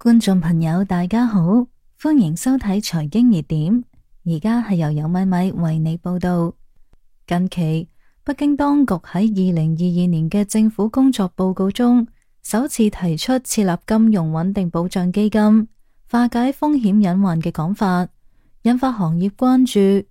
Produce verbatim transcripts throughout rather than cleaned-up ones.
觀眾朋友大家好，歡迎收睇財經熱點。而家係由有米米為你報道。近期北京當局喺二零二二年嘅政府工作報告中，首次提出設立金融穩定保障基金，化解風險隱患嘅講法，引發行業關注。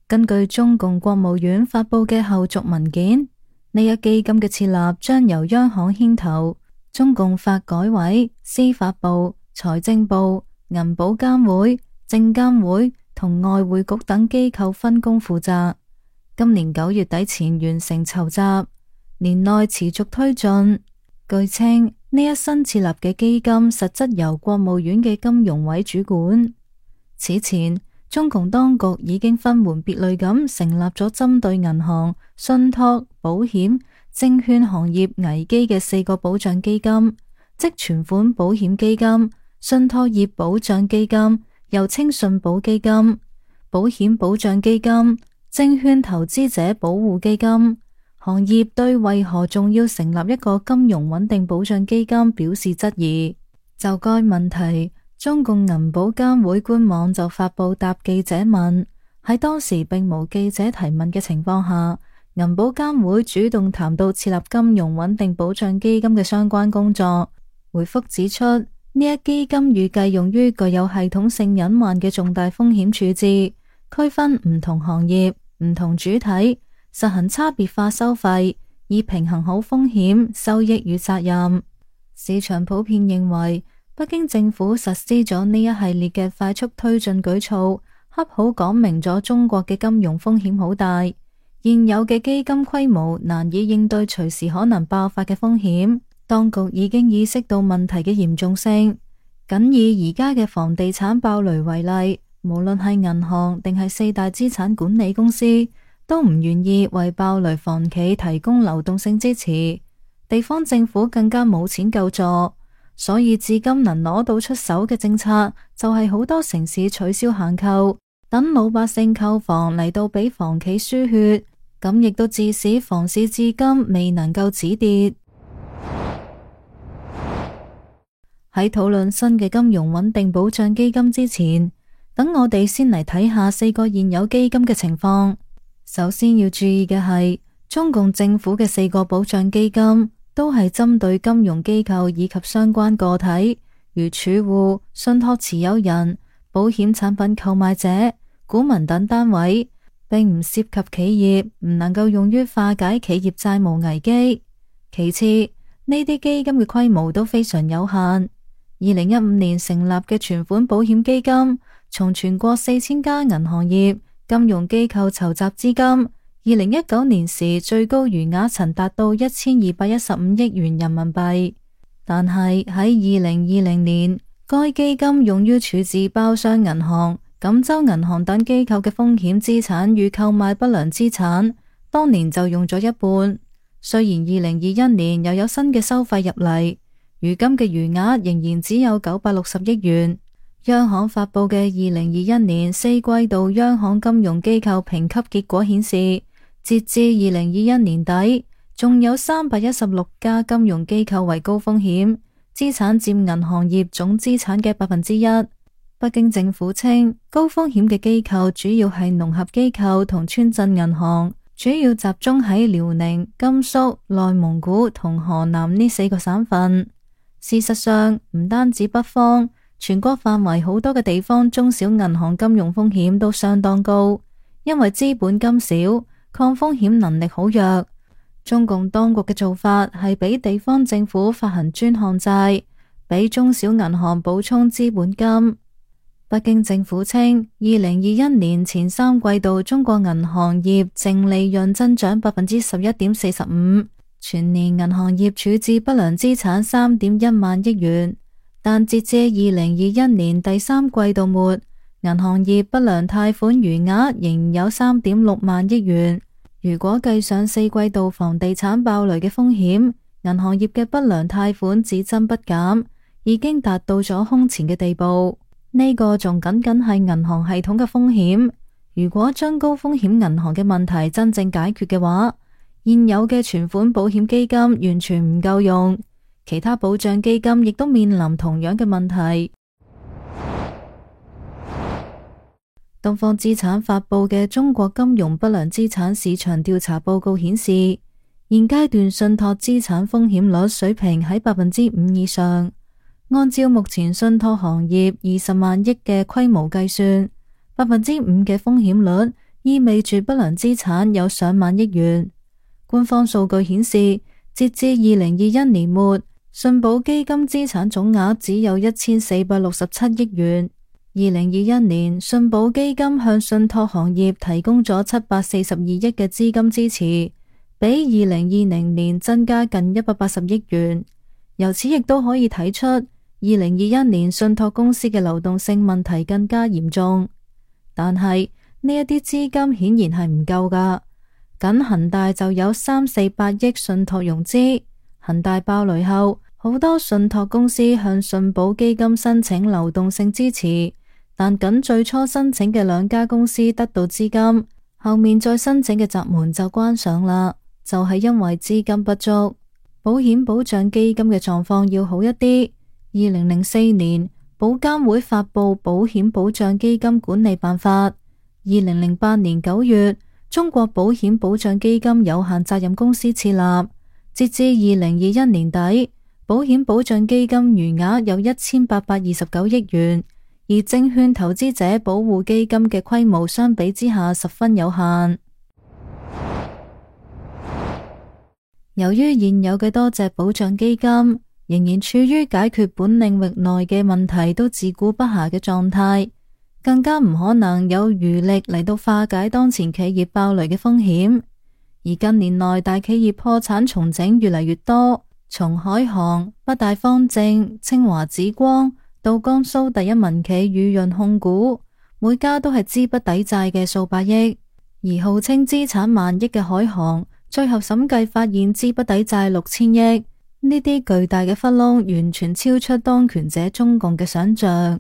根據中共國務院發佈嘅後續文件，呢一基金嘅設立將由央行牽頭，中共發改委、司法部、財政部、銀保監會、證監會同外匯局等機構分工負責。今年九月底前完成籌集，年內持續推進。據稱，呢一新設立嘅基金實質由國務院嘅金融委主管。此前，中共當局已經分門別類咁成立咗針對銀行、信託、保險、證券行業危機嘅四個保障基金，即存款保險基金、信託業保障基金，又稱信保基金、保險保障基金、證券投資者保護基金。行業對為何仲要成立一個金融穩定保障基金表示質疑。就該問題，中共銀保監會官網就發布答記者問，喺當時並無記者提問嘅情況下，銀保監會主動談到設立金融穩定保障基金嘅相關工作。回覆指出，呢一基金預計用於具有系統性隱患嘅重大風險處置，區分唔同行業、唔同主體，實行差別化收費，以平衡好風險、收益與責任。市場普遍認為，北京政府實施咗呢一系列嘅快速推進舉措，恰好講明咗中國嘅金融風險好大，現有嘅基金規模難以應對隨時可能爆發嘅風險。當局已經意識到問題嘅嚴重性，僅以而家嘅房地產爆雷為例，無論係銀行定係四大資產管理公司，都唔願意為爆雷房企提供流動性支持，地方政府更加冇錢救助，所以至今能攞到出手嘅政策就係好多城市取消限購，等老百姓購房嚟到俾房企輸血，咁亦都致使房市至今未能夠止跌。喺討論新嘅金融穩定保障基金之前，等我哋先嚟睇下四個現有基金嘅情況。首先要注意嘅係，中共政府嘅四個保障基金都係針對金融機構以及相關個體，如儲戶、信託持有人、保險產品購買者、股民等單位，並唔涉及企業，唔能夠用於化解企業債務危機。其次，呢啲基金嘅規模都非常有限。二零一五年成立嘅存款保險基金，從全國四千家銀行業、金融機構籌集資金，二零一九年時最高餘額曾達到一千二百一十五億元人民幣。但係喺二零二零年，該基金用於處置包商銀行、錦州銀行等機構嘅風險資產與購買不良資產，當年就用咗一半。雖然二零二一年又有新嘅收費入嚟，如今嘅餘額仍然只有九百六十億元。央行發佈嘅二零二一年四季度央行金融機構評級結果顯示，截至二零二一年底，仲有三百一十六家金融機構為高風險，資產佔銀行業總資產嘅百分之一。北京政府稱，高風險嘅機構主要係農合機構同村鎮銀行，主要集中喺遼寧、甘肅、內蒙古同河南呢四個省份。事實上，唔單止北方，全國範圍好多嘅地方中小銀行金融風險都相當高，因為資本金少，抗風險能力好弱。中共當局嘅做法係俾地方政府發行專項債，俾中小銀行補充資本金。北京政府稱，二零二一年前三季度中國銀行業淨利潤增長百分之十一點四十五，全年銀行業處置不良資產三點一萬億元。但截至二零二一年第三季度末，銀行業不良貸款餘額仍有三點六萬億元。如果計上四季度房地產爆雷嘅風險，銀行業嘅不良貸款只增不減，已經達到咗空前嘅地步。呢個仲僅僅係銀行系統嘅風險。如果將高風險銀行嘅問題真正解決嘅話，現有嘅存款保險基金完全唔夠用。其他保障基金亦都面臨同樣嘅問題。東方資產發佈嘅中國金融不良資產市場調查報告顯示，現階段信託資產風險率水平喺百分之五以上。按照目前信託行業二十萬億嘅規模計算，百分之五嘅風險率意味住不良資產有上萬億元。官方數據顯示，截至二零二一年末，信保基金資產總額只有一千四百六十七億元。二零二一年，信保基金向信託行業提供咗七百四十二億嘅資金支持，比二零二零年增加近一百八十億元。由此亦都可以睇出，二零二一年信託公司嘅流動性問題更加嚴重。但係呢一啲資金顯然係唔夠㗎，僅恒大就有三四百億信託融資。恒大爆雷後，好多信託公司向信保基金申請流動性支持，但僅最初申請嘅兩家公司得到資金，後面再申請嘅閘門就關上啦，就係因為資金不足。保險保障基金嘅狀況要好一啲。二零零四年，保監會發佈保險保障基金管理辦法。二零零八年九月，中國保險保障基金有限責任公司設立。截至二零二一年底，保險保障基金餘額有一千八百二十九億元，而證券投資者保護基金嘅規模相比之下十分有限。由於現有嘅多隻保障基金仍然處於解決本領域內嘅問題都自顧不暇嘅狀態，更加唔可能有餘力嚟到化解當前企業爆雷嘅風險。而近年內大企業破產重整越嚟越多，從海航、北大方正、清華紫光到江蘇第一民企宇潤控股，每家都係資不抵債嘅數百億。而號稱資產萬億嘅海航，最後審計發現資不抵債六千億。呢啲巨大嘅窟窿完全超出當權者中共嘅想象。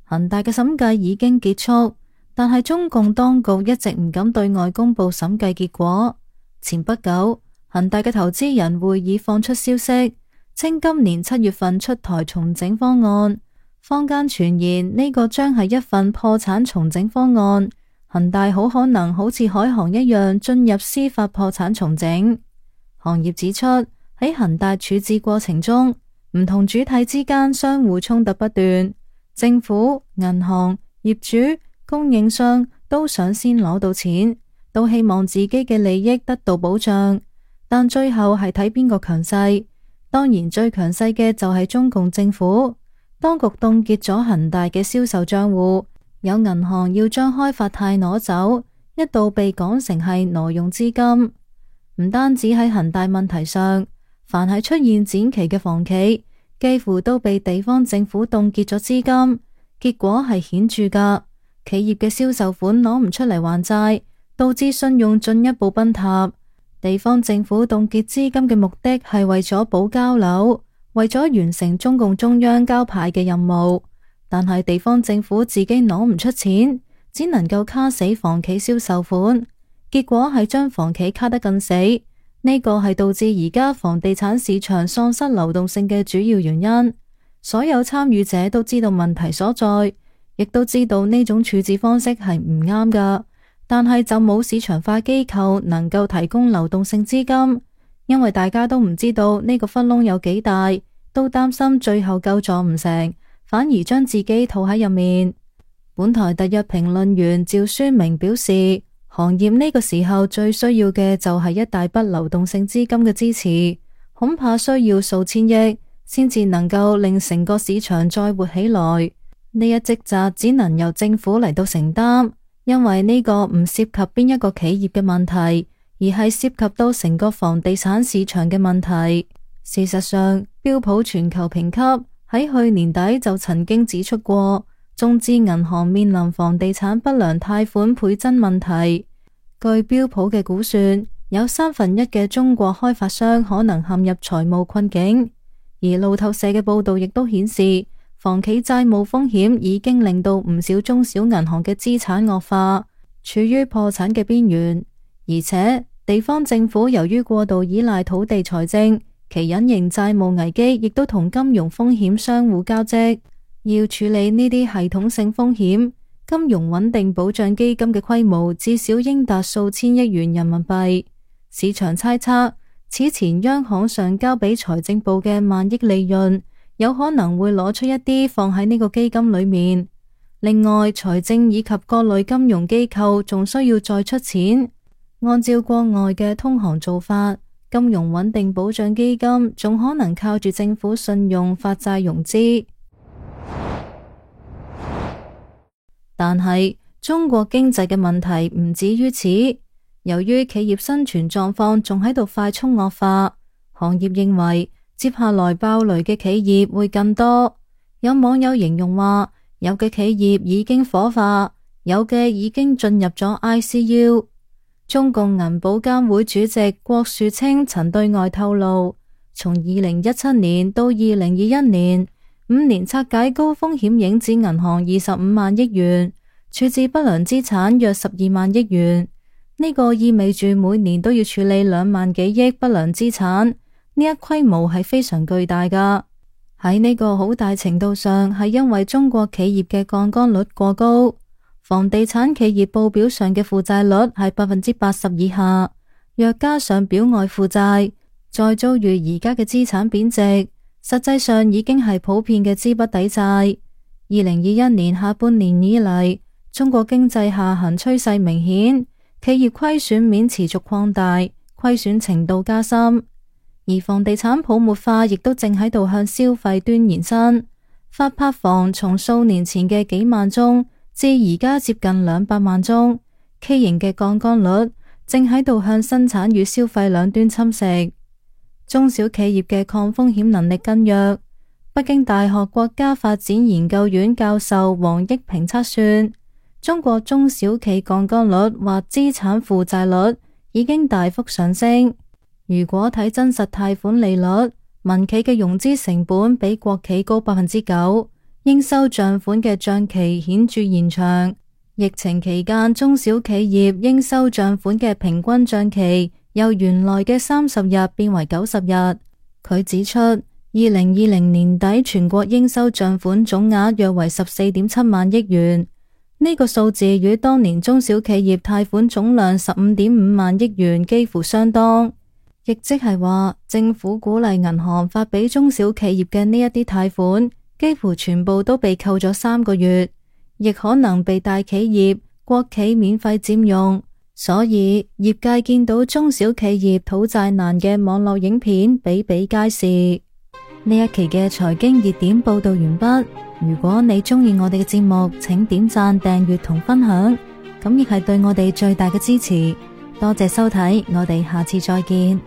恒大嘅審計已經結束，但係中共當局一直唔敢對外公布審計結果。前不久，恒大嘅投資人會議放出消息，稱今年七月份出台重整方案。坊間傳言呢個將係一份破產重整方案，恒大好可能好似海航一樣進入司法破產重整。行業指出，喺恒大處置過程中，唔同主體之間相互衝突不斷，政府、銀行、業主、供應商都想先攞到錢，都希望自己嘅利益得到保障，但最後係睇邊個強勢。當然最強勢嘅就係中共政府，當局凍結咗恒大嘅銷售賬戶，有銀行要將開發貸攞走，一度被講成係挪用資金。唔單止喺恒大問題上，凡係出現展期嘅房企，幾乎都被地方政府凍結咗資金，結果係顯著噶。企業嘅銷售款攞唔出嚟還債，導致信用進一步崩塌。地方政府凍結資金嘅目的係為咗保交樓，為咗完成中共中央交派嘅任務。但係地方政府自己攞唔出錢，只能夠卡死房企銷售款，結果係將房企卡得更死。呢個係導致而家房地產市場喪失流動性嘅主要原因。所有參與者都知道問題所在，亦都知道呢種處置方式係唔啱噶，但係就冇市場化機構能夠提供流動性資金，因為大家都唔知道呢個窟窿有幾大，都擔心最後救助唔成，反而將自己套喺入面。本台特約評論員趙書明表示，行業呢個時候最需要嘅就係一大筆流動性資金嘅支持，恐怕需要數千億先至能夠令成個市場再活起來。呢一職責只能由政府嚟到承擔，因為呢個唔涉及邊一個企業嘅問題，而係涉及到成個房地產市場嘅問題。事實上，標普全球評級喺去年底就曾經指出過，中資銀行面臨房地產不良貸款倍增問題。據標普嘅估算，有三分一嘅中國開發商可能陷入財務困境。而路透社嘅報道亦都顯示，房企債務風險已經令到唔少中小銀行嘅資產惡化，處於破產嘅邊緣。而且地方政府由於過度依賴土地財政，其隱形債務危機亦都同金融風險相互交織。要處理呢啲系統性風險，金融穩定保障基金嘅規模至少應達數千億元人民幣。市場猜測，此前央行上交俾財政部嘅萬億利潤，有可能會攞出一啲放喺呢個基金裏面。另外，財政以及各類金融機構仲需要再出錢。按照國外嘅通行做法，金融穩定保障基金仲可能靠住政府信用發債融資。但係中國經濟嘅問題唔止於此，由於企業生存狀況仲喺度快速惡化，行業認為接下來爆雷嘅企業會更多。有網友形容話，有嘅企業已經火化，有嘅已經進入咗 I C U。中共銀保監會主席郭樹清曾對外透露，從二零一七年到二零二一年，五年拆解高風險影子銀行二十五萬億元，處置不良資產約十二萬億元。呢個意味住每年都要處理兩萬幾億不良資產，呢一規模係非常巨大噶。喺呢個好大程度上係因為中國企業嘅槓桿率過高，房地產企業報表上嘅負債率係百分之八十以下，若加上表外負債，再遭遇而家嘅資產貶值，實際上已經係普遍嘅資不抵債。二零二一年下半年以嚟，中國經濟下行趨勢明顯，企業虧損面持續擴大，虧損程度加深，而房地產泡沫化亦都正喺度向消費端延伸。發拍房從數年前嘅幾萬宗至而家接近兩百萬宗，K 型嘅槓桿率正喺度向生產與消費兩端侵蝕。中小企業嘅抗風險能力更弱。北京大學國家發展研究院教授王益平測算，中國中小企槓桿率或資產負債率已經大幅上升。如果睇真實貸款利率，民企嘅融資成本比國企高百分之九，應收賬款嘅賬期顯著延長。疫情期間，中小企業應收賬款嘅平均賬期由原來嘅三十日變為九十日。佢指出，二零二零年底全國應收賬款總額約為十四點七萬億元，呢、這個數字與當年中小企業貸款總量十五點五萬億元幾乎相當，亦即係話政府鼓勵銀行發俾中小企業嘅呢一啲貸款，幾乎全部都被扣咗三個月，亦可能被大企業、國企免費佔用。所以業界見到中小企業討債難嘅網絡影片比比皆是。呢一期嘅財經熱點報道完畢。如果你鍾意我哋嘅節目，請點讚、訂閱同分享，咁亦係對我哋最大嘅支持。多謝收睇，我哋下次再見。